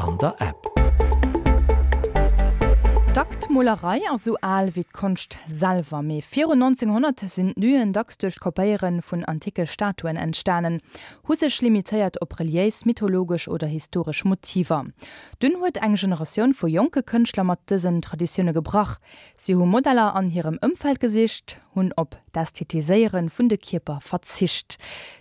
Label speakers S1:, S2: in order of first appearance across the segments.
S1: an der App.
S2: D'Aktmolerei ass sou al wéi d'Konscht selwer. Mee virun 1900 sinn d'Nuen dacks duerch d'Kopéiere vun antike Statuen entstanen, hu sech limitéiert op reliéis, mythologesch oder historesch Motiver. Dunn huet eng Generatioun vu jonke Kënschtler mat dësen Traditioune gebrach. Si hu Modeller an hirem Ëmfeld gesicht, hunn op d'Ästhetiséiere vun de Kierper verzicht.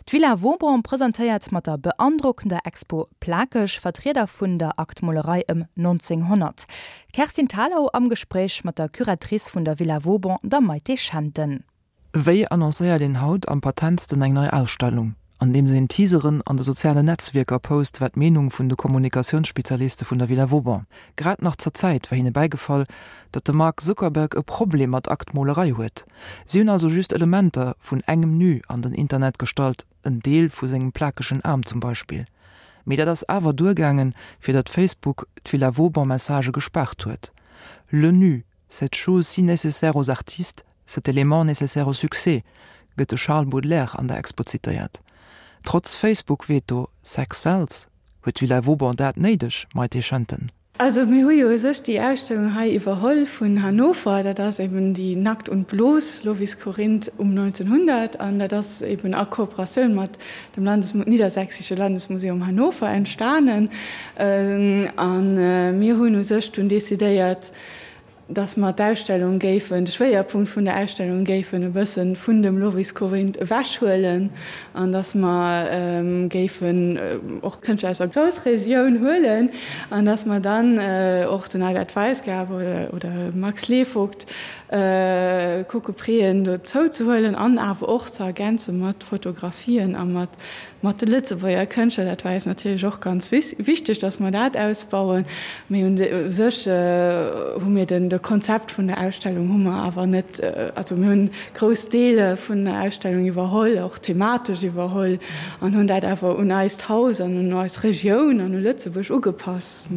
S2: D'Villa Vauban presentéiert mat der beandrockender Expo Plakeg Vertrieder vun der Aktmolerei ëm 1900. D'Kerstin Thalau am Gespréich mat der Curatrice vun der Villa Vauban, der Maïté Schenten.
S3: Wéi annoncéiert een haut am patentsten eng nei Ausstellung? Andeems een Teaseren an de sozialen Netzwierker post, war d'Meenung vun de Kommunikatiounsspezialiste vun der Villa Vauban. Grad nach zur Zäit war hinne bäigefall, datt de Mark Zuckerberg e Problem mat Aktmolerei huet. Si hunn also just Elementer vun engem Nu an den Internet gestallt, en Deel vu sengem plakegen Aarm zum Beispill. Mee dat ass awer duergaangen, fir datt Facebook d'Villa Vauban-Messagë gespaart huet. Le Nu, cette chose si nécessaire aux artistes, Cet élément nécessaire au succès, gëtt de Charles Baudelaire an der Expo zitéiert. Trotz Facebook-Veto, Sex sells, huet d'Villa Vauban dat néideg, Maïté Schenten?
S4: Also mir hu jo u sech déi Ausstellung hei iwwerholl vun Hannover. Dat ass eben déi Nackt und bloß, Lovis Corinth um 1900 an dat ass eben a Kooperatioun mat dem Landes Niedersächsische Landesmuseum Hannover entstanen. A mir hunn u sech dunn decidéiert, dass mer d'Ausstellung géifen, de Schwéierpunkt vun der Ausstellung géifen e bësse vun dem Lovis Corinth ewechhuelen an dass mer géifen och Kënschtler aus der Groussregioun huelen an dass mer dann och den Albert Weisgerber oder Max Slevogt kucke Préen dozou ze huelen an awer och ze ergänze mat Fotografien a mat Mat de Lëtzebuerger Kënschtler, dat war eis natierlech och ganz wichteg, datt mer dat ausbauen. Mee u sech hu mir den, de Konzept vun der Ausstellung hu mer awer net, also mir hunn grouss Deele vun der Ausstellung iwwerholl, och thematesch iwwerholl an hunn dat awer un eist Haus an un eis Regioun an u Lëtzebuerg ugepasst.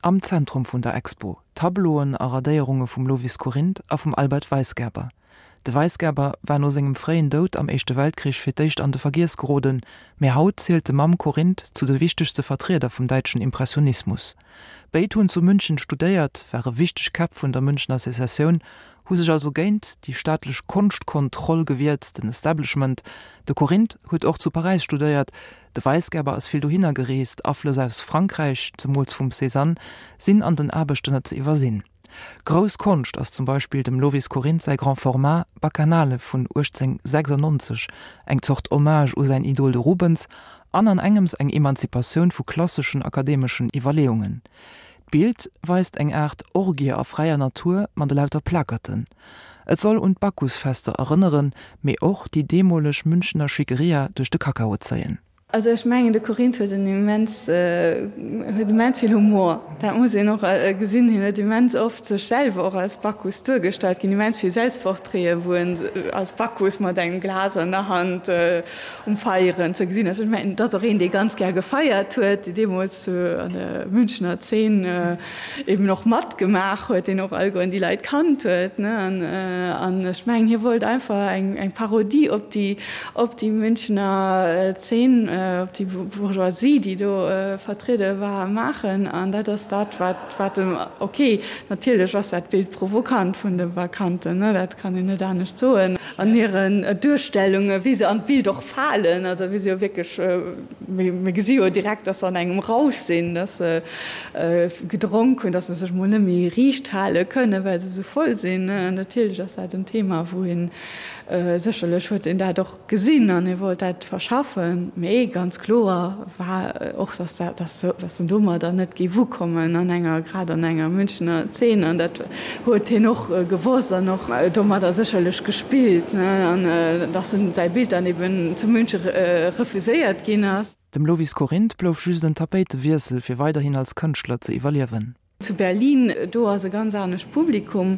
S3: Am Zentrum vun der Expo, Tableauen a Radéierunge vum Lovis Corinth a vum Albert Weisgerber. De Weisgerber war no sengem fréien Doud am Éischte Weltkrich fir d'éischt an de Vergiess geroden, mä haut zielt de mam Corinth zu de wichtegste Vertrieder vum däitschen Impressionismus. Béid hunn zu München studéiert, ware wichteg Käpp vun der Münchner Sezessioun, hu sech also géint déi staatlech Konschtkontroll gewiert, den Establishment. De Corinth huet och zu Paräis studéiert, De Weisgerber ass vill dohinner gereest, Aflëss aus Frankräich, zemools vum Cézanne, sinn an den Aarbechten net ze iwwersinn. Grouss Konscht ass zum Beispill dem Lovis Corinth säi Grand Format Bacchanale vun 1896, eng Zort Hommage u säin Idol de Rubens an an engems eng Emanzipatioun vu klasseschen akademeschen Iwwerleeungen. D'Bild weist eng Aart Orgie a fräier Natur mat elauter Plakerten. Et soll un d'Bacchusfester erënneren, mee och déi deemoleg Münchener Schickeria duerch de Kakao zéien.
S4: Also ech mengen de Corinth huet en immens, huet immens vill Humor, dat muss een och gesinn. Hien huet immens oft sech selwer och als Bacchus duergestallt, ginn immens vill Selbstportraiten, wou en als Bacchus mat engem Glas an der Hand um Feieren ze gesinn ass. Ech mengen, et ass och een, dee ganz gär gefeiert huet, dee deemools an der Münchener Zeen eben och matgemaach huet, deen och allegueren déi Leit kannt huet, ne. An, an ech mengen, hie wollt einfach eng, eng Parodie op déi, op déi Münchener Zeen, op déi Bourgeoisie, déi do vertriede war, maachen. An dat ass dat, wat, wat em, ok, natierlech ass dat Bild provokant vun de Vakanten, ne, dat kann een net anescht soen. An hiren Duerstellungen, wéi se an d'Bild och falen, also wéi se jo wierklech, mir gesi jo direkt, dass se an engem Rausch sinn, dass se gedronk hunn, dass se sech mol net méi riicht hale kënnen, well se esou voll sinn. Natierlech ass dat en Thema, wou een, sécherlech huet een dat och gesinn an e wollt dat verschaffen, mee ganz kloer war och, dass dat, dass dass en domadder net géif ukommen an enger, grad an enger Münchener Zeen an dat huet hien och gewosst an och domadder sécherlech gespillt, an dass en säi Bild dann eben zu Münche refuséiert ginn ass.
S3: Dem Lovis Corinth blouf just en Tapéitewiessel, fir weiderhin als Kënschtler ze iwwerliewen.
S4: Zu Berlin, do ass e ganz anescht Publikum.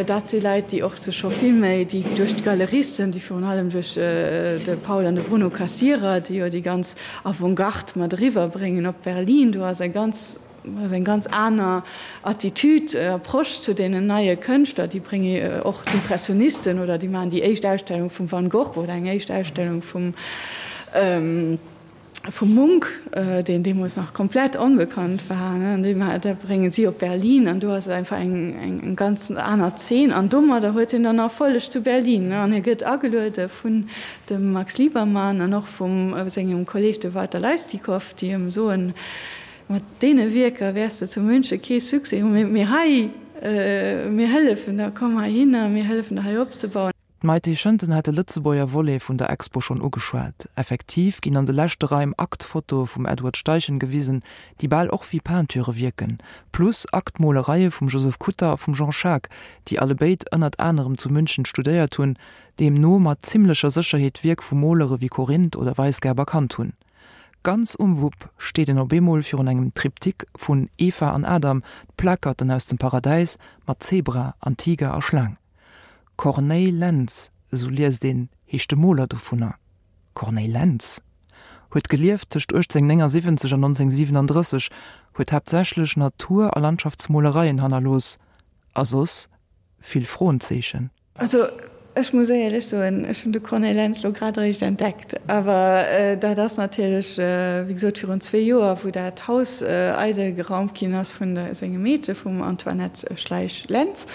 S4: Dat si Leit, déi och sech scho vill méi, déi duerch d'Galeristen, déi virun allem duerch de Paul an de Bruno Cassirer, déi jo déi ganz Avantgarde mat eriwwer bréngen op Berlin, do ass eng ganz, ass eng ganz aner Attitude, Approche zu deenen neie Kënschtler. Déi brénge och d'Impressionisten oder déi maachen déi éischt Ausstellung vum Van Gogh oder eng éischt Ausstellung vum. Vum Munch, deen deemools nach komplett onbekannt war, an dee da brénge si op Berlin an do ass et einfach eng eng ganz aner Zeen an domadder huet hien dann Erfolleg zu Berlin an hie gëtt ageluede vun dem Max Liebermann an och vum sengem Kolleg de Walter Leistikow, déi him soen, mat deene Wierker wäers de zu Münche kee Succès hunn, mee hei, mir hëllefen der, komm heihinner, mir hëllefen der hei opzebauen.
S3: D'Maïté Schënten hat de Lëtzebuerger Volet vun der Expo schonn ugeschwat. Effektiv ginn an de leschte Raim Aktfotoe vum Edward Steichen gewisen, déi bal och wéi Peinture wierken, plus Aktmolereie vum Joseph Kutter a vum Jean Schaack, déi allebéid ënnert anerem zu München studéiert hunn, deemno mat zimmlecher Sécherheet d'Wierk vu Molere wéi Corinth oder Weisgerber kannt hunn. Ganz um Wupp steet een op eemol virun engem Triptyque vun Eva an Adam, d'Plakerten aus dem Paradäis mat Zebra an Tiger a Schlaang. Corneille Lentz, esou liest een, heescht de Moler dovunner. Corneille Lentz huet gelieft tëscht 1879 an 1937, huet haaptsächlech Natur a Landschaftsmolereien hannerlooss a soss vill Froenzeechen.
S4: Also ech muss éierlech soen, ech hunn de Corneille Lentz elo grad eréischt entdeckt. Awer dat ass natierlech, wéi gesot, virun zwee Joer, wou dat Haus eidel geraumt ginn ass vun sengem Meedche, vum Antoinette Schleich-Lentz.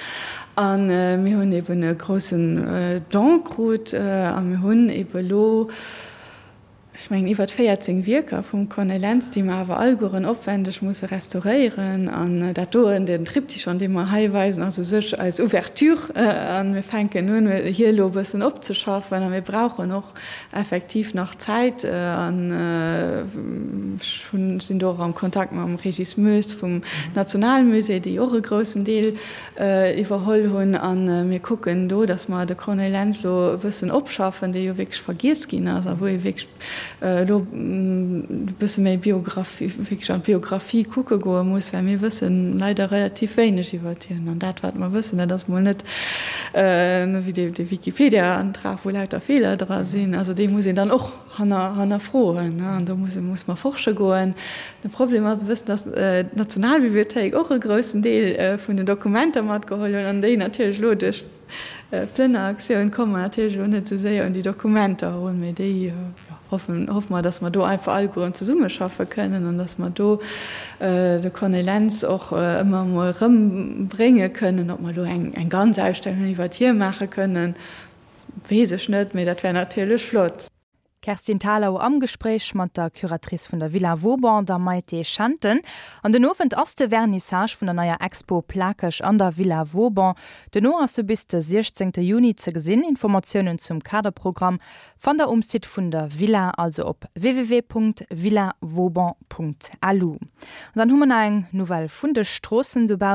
S4: A mir hunn eben e groussen Don krut a mir hunn ebe elo, ech mengen, iwwert 14 Wierker vum Corneille Lentz, déi mer awer allegueren opwändeg musse restauréieren. An dat doen, den Triptychon, dee mer hei weisen, ass u sech eis Ouverture. A mir fänken un, hie elo e bëssen opzeschaffen. A mir brauchen och effektiv nach Zäit. An ech hunn, sinn do och am Kontakt mam Régis Moes vum Nationalmusée, déi och e groussen Deel iwwerholl hunn a mir kucken do, datt mer de Corneille Lentz elo e bëssen opschaffen, dee jo wierklech vergiess ginn ass a wou ee wierklech elo e bësse méi Biographie, wierklech an d'Biographie kucke goe muss, well mir wësse leider relativ wéineg iwwert hien. An dat, wat mer wëssen, dat ass mol net wéi dee Wikipedia-Antrag, wou lauter Feeler dra sinn. Also dee muss een dann och hannerfroen an do muss muss mer forsche goen. De Problem ass e bëssen, datt d'Nationalbibliothéik och e groussen Deel vun den Dokumenter matgeholl hunn an déi natierlech elo duerch d'Plënneraktioun komme mer natierlech elo net esou séier un déi Dokumenter erun. Mee déi, jo, hoffen, hoffe mer, datt mer do einfach allegueren zesummeschaffe kënnen an datt mer do de Corneille Lentz och ëmmer emol erëmbrénge kënnen. Ob mer elo eng ganz Ausstellung iwwert hie maache kënnen, Weess ech net, mee dat wär natierlech flott.
S2: Kerstin Thalau am Gespréich mat der Curatrice vun der Villa Vauban, der Maïté Schenten. An den Owend ass de Vernissage vun der neier Expo Plakeg an der Villa Vauban. Duerno ass se bis de 16 Juni ze gesinn. Informatiounen zum Kaderprogramm fannt der um Site vun der Villa, also op www.villavauban.lu. An dann hu mer nach eng Nouvelle vun de Stroossen dobaussen.